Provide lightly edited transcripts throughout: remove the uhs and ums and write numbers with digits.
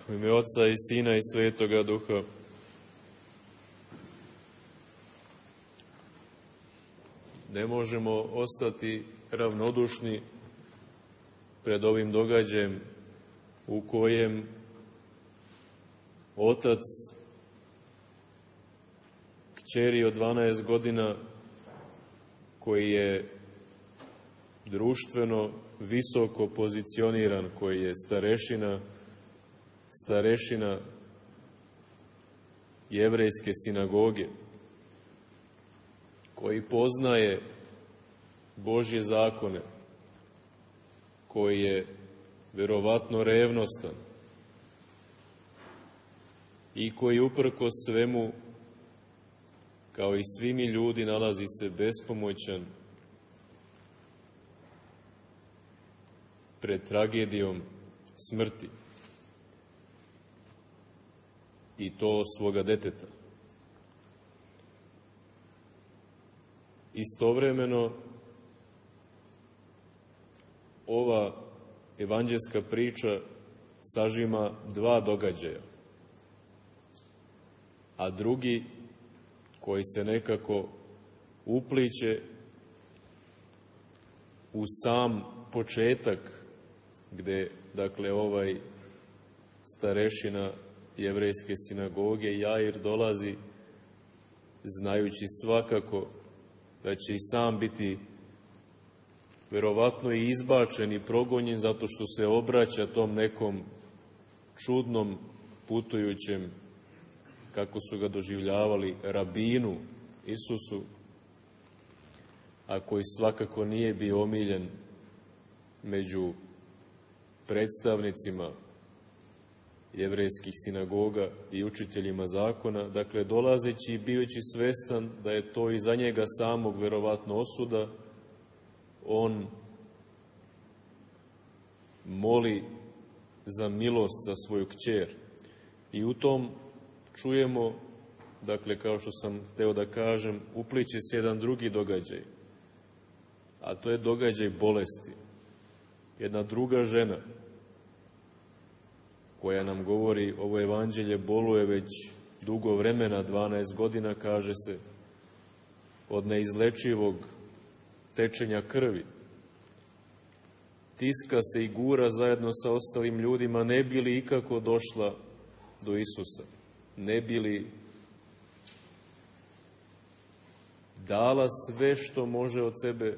U ime Oca i Sina i Svetoga Duha. Ne možemo ostati ravnodušni pred ovim događajem u kojem otac kćeri od 12 godina, koji je društveno visoko pozicioniran, koji je starešina jevrejske sinagoge, koji poznaje Božje zakone, koji je verovatno revnostan i koji uprkos svemu, kao i svi mi ljudi, nalazi se bespomoćan pred tragedijom smrti, i to svoga deteta. Istovremeno, ova evanđelska priča sažima dva događaja, a drugi, koji se nekako upliće u sam početak, gde, dakle, ovaj starešina jevrejske sinagoge Jair dolazi, znajući svakako da će i sam biti verovatno i izbačen i progonjen zato što se obraća tom nekom čudnom putujućem, kako su ga doživljavali, rabinu Isusu, a koji svakako nije bio omiljen među predstavnicima jevrejskih sinagoga i učiteljima zakona. Dakle, dolazeći i bivajući svestan da je to i za njega samog verovatno osuda, on moli za milost za svoju kćer. I u tom čujemo, dakle, kao što sam hteo da kažem, upliće se jedan drugi događaj, a to je događaj bolesti. Jedna druga žena, koja nam govori, ovo evanđelje boluje već dugo vremena, 12 godina, kaže se, od neizlečivog tečenja krvi. Tiska se i gura zajedno sa ostalim ljudima, ne bi li ikako došla do Isusa, ne bi li dala sve što može od sebe,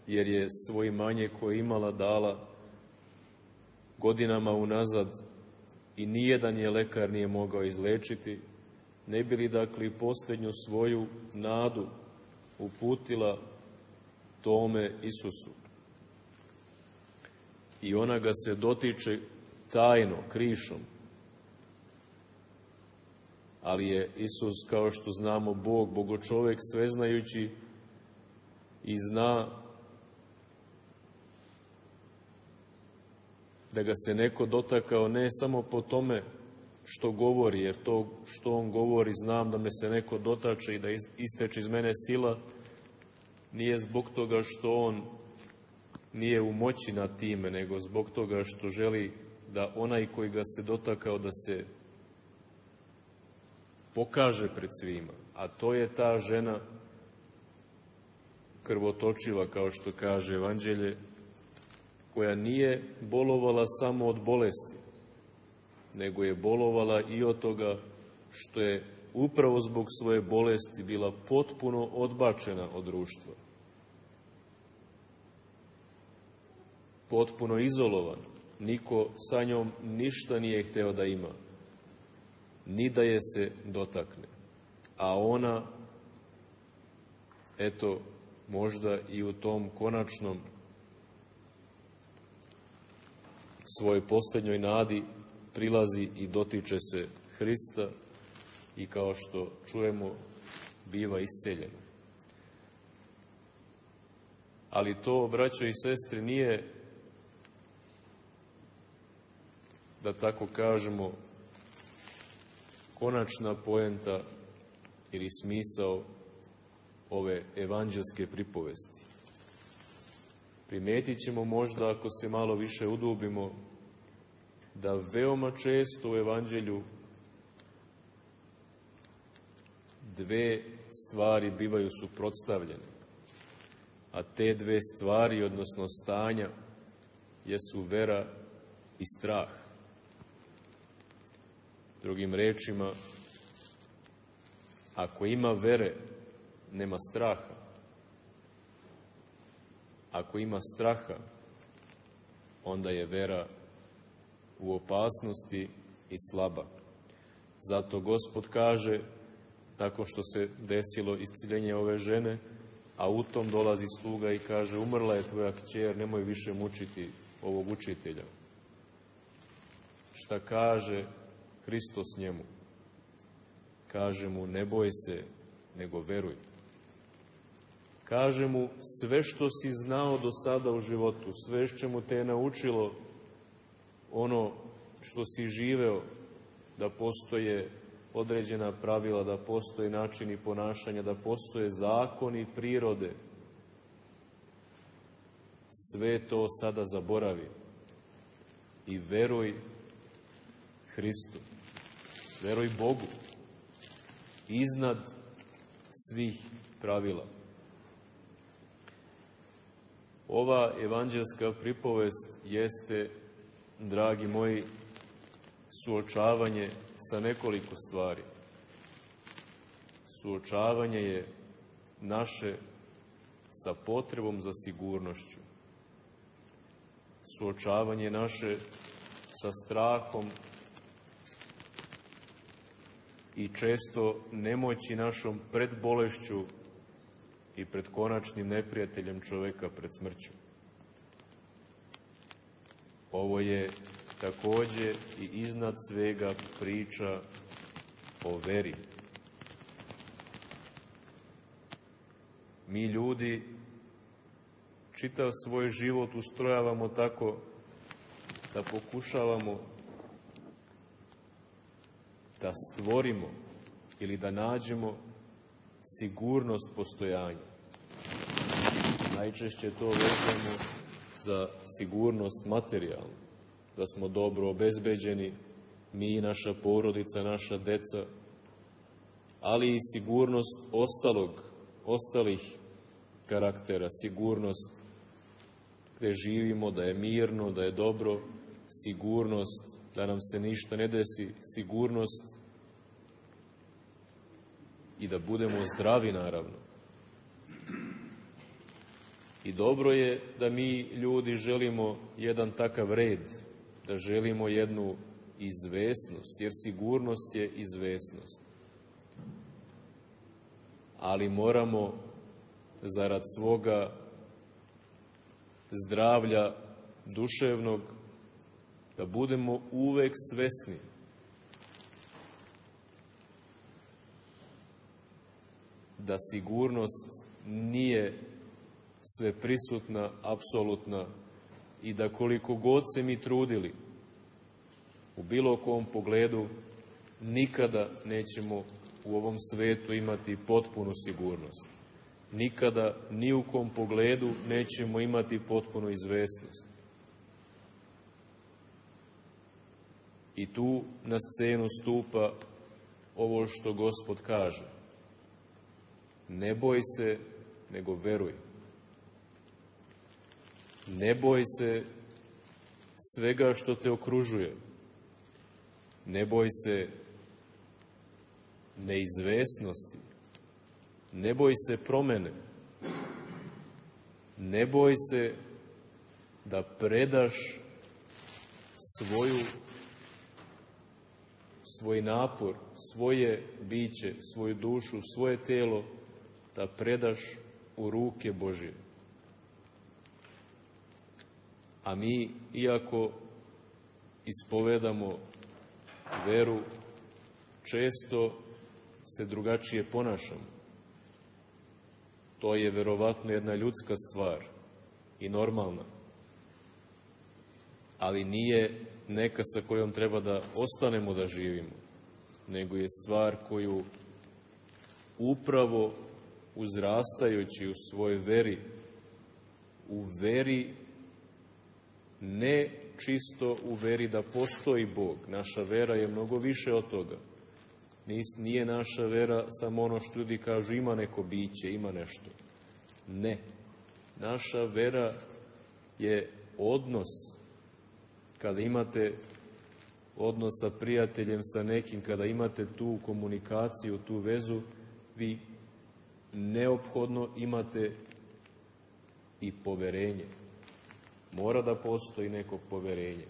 jer je svoje imanje koje imala dala godinama unazad i nijedan je lekar nije mogao izlečiti, ne bi li, dakle, posljednju svoju nadu uputila tome Isusu. I ona ga se dotiče tajno, krišom. Ali je Isus, kao što znamo, Bog, bogočovek, sveznajući, i zna da ga se neko dotakao ne samo po tome što govori, jer to što on govori, znam da me se neko dotače i da isteče iz mene sila, nije zbog toga što on nije u moći nad time, nego zbog toga što želi da onaj koji ga se dotakao da se pokaže pred svima. A to je ta žena krvotočiva, kao što kaže evanđelje, koja nije bolovala samo od bolesti, nego je bolovala i od toga što je upravo zbog svoje bolesti bila potpuno odbačena od društva. Potpuno izolovana. Niko sa njom ništa nije hteo da ima, ni da je se dotakne. A ona, eto, možda i u tom konačnom svojoj posljednjoj nadi prilazi i dotiče se Hrista i, kao što čujemo, biva isceljena. Ali to, braćo i sestre, nije, da tako kažemo, konačna poenta ili smisao ove evanđelske pripovesti. Primetit ćemo možda, ako se malo više udubimo, da veoma često u Evanđelju dve stvari bivaju suprotstavljene, a te dve stvari, odnosno stanja, jesu vera i strah. Drugim rečima, ako ima vere, nema straha. Ako ima straha, onda je vera u opasnosti i slaba. Zato Gospod kaže, tako što se desilo isciljenje ove žene, a u tom dolazi sluga i kaže, umrla je tvoja kćer, nemoj više mučiti ovog učitelja. Šta kaže Hristos njemu? Kaže mu, ne boj se, nego veruj. Kaže mu, sve što si znao do sada u životu, sve što te je naučilo, ono što si živeo, da postoje određena pravila, da postoje načini ponašanja, da postoje zakoni prirode, sve to sada zaboravi i veruj Hristu, veruj Bogu, iznad svih pravila. Ova evanđelska pripovest jeste, dragi moji, suočavanje sa nekoliko stvari. Suočavanje je naše sa potrebom za sigurnošću. Suočavanje naše sa strahom i često nemoći našom pred bolešću i pred konačnim neprijateljem čoveka, pred smrću. Ovo je takođe i iznad svega priča o veri. Mi ljudi čitav svoj život ustrojavamo tako da pokušavamo da stvorimo ili da nađemo sigurnost postojanja. Najčešće to vezujemo za sigurnost materijalnu, da smo dobro obezbeđeni, mi i naša porodica, naša deca, ali i sigurnost ostalih karaktera, sigurnost gde živimo, da je mirno, da je dobro, sigurnost da nam se ništa ne desi, sigurnost i da budemo zdravi, naravno. I dobro je da mi ljudi želimo jedan takav red, da želimo jednu izvesnost, jer sigurnost je izvesnost. Ali moramo, zarad svoga zdravlja duševnog, da budemo uvek svesni da sigurnost nije sveprisutna, apsolutna i da koliko god se mi trudili u bilo kom pogledu, nikada nećemo u ovom svetu imati potpunu sigurnost. Nikada, ni u kom pogledu nećemo imati potpunu izvesnost. I tu na scenu stupa ovo što Gospod kaže. Ne boj se, nego veruj. Ne boj se svega što te okružuje. Ne boj se neizvesnosti. Ne boj se promene. Ne boj se da predaš svoj napor, svoje biće, svoju dušu, svoje telo, da predaš u ruke Božje. A mi, iako ispovedamo veru, često se drugačije ponašamo. To je verovatno jedna ljudska stvar i normalna, ali nije neka sa kojom treba da ostanemo da živimo, nego je stvar koju upravo uzrastajući u svojoj veri, u veri ne čisto u veri da postoji Bog. Naša vera je mnogo više od toga. Nije naša vera samo ono što ljudi kažu ima neko biće, ima nešto. Ne. Naša vera je odnos. Kada imate odnos sa prijateljem, sa nekim, kada imate tu komunikaciju, tu vezu, vi neophodno imate i poverenje. Mora da postoji neko poverenje.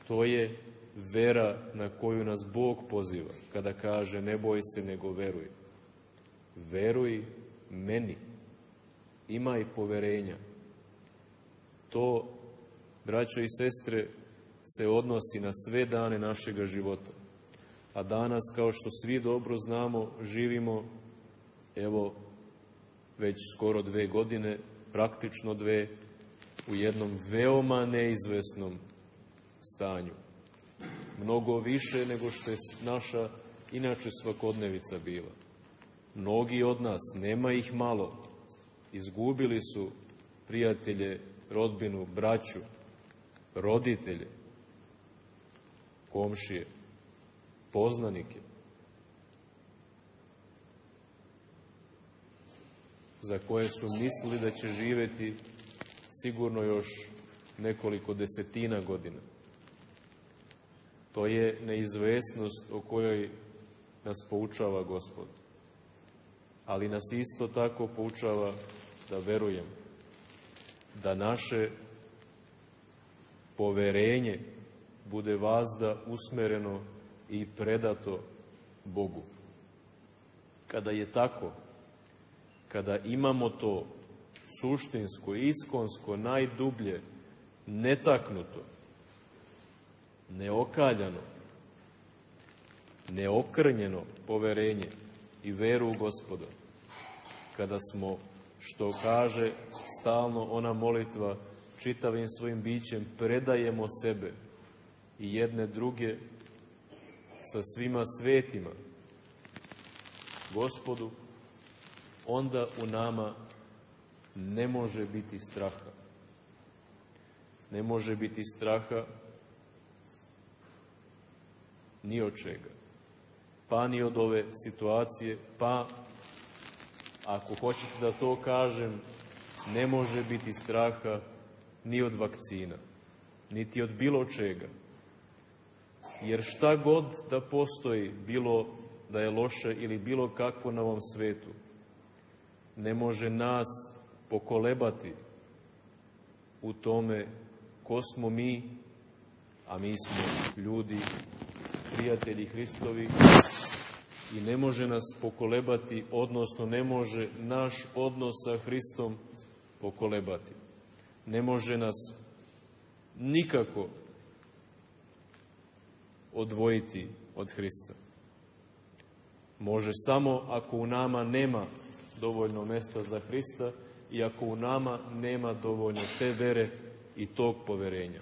To je vera na koju nas Bog poziva, kada kaže ne boj se nego veruj. Veruj meni. Imaj poverenja. To, braćo i sestre, se odnosi na sve dane našega života. A danas, kao što svi dobro znamo, živimo, evo, već skoro 2 godine, praktično 2, u jednom veoma neizvesnom stanju. Mnogo više nego što je naša inače svakodnevica bila. Mnogi od nas, nema ih malo, izgubili su prijatelje, rodbinu, braću, roditelje, komšije, poznanike, za koje su mislili da će živjeti sigurno još nekoliko desetina godina. To je neizvesnost o kojoj nas poučava Gospod. Ali nas isto tako poučava da verujemo, da naše poverenje bude vazda usmereno i predato Bogu. Kada je tako, kada imamo to suštinsko, iskonsko, najdublje, netaknuto, neokaljano, neokrnjeno poverenje i veru u Gospoda, kada smo, što kaže stalno ona molitva, čitavim svojim bićem predajemo sebe i jedne druge sa svima svetima Gospodu, onda u nama ne može biti straha. Ne može biti straha ni od čega. Pa ni od ove situacije, pa, ako hoćete da to kažem, ne može biti straha ni od vakcina, niti od bilo čega. Jer šta god da postoji, bilo da je loše ili bilo kakvo na ovom svetu, ne može nas pokolebati u tome ko smo mi, a mi smo ljudi, prijatelji Hristovi, i ne može nas pokolebati, odnosno ne može naš odnos sa Hristom pokolebati. Ne može nas nikako odvojiti od Hrista. Može samo ako u nama nema dovoljno mesta za Hrista i ako u nama nema dovoljno te vere i tog poverenja.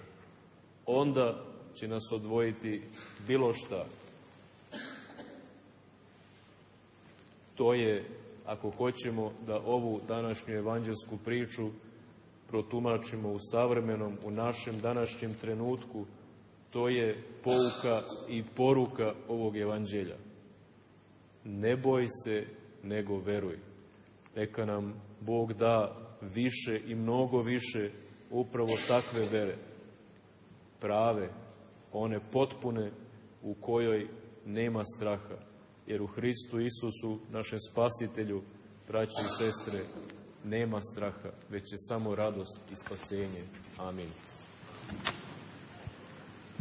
Onda će nas odvojiti bilo šta. To je, ako hoćemo da ovu današnju evanđelsku priču protumačimo u savremenom, u našem današnjem trenutku, to je pouka i poruka ovog evanđelja. Ne boj se, nego veruj. Neka nam Bog da više i mnogo više upravo takve vere. Prave, one potpune, u kojoj nema straha. Jer u Hristu Isusu, našem Spasitelju, braći i sestre, nema straha, već je samo radost i spasenje. Amin.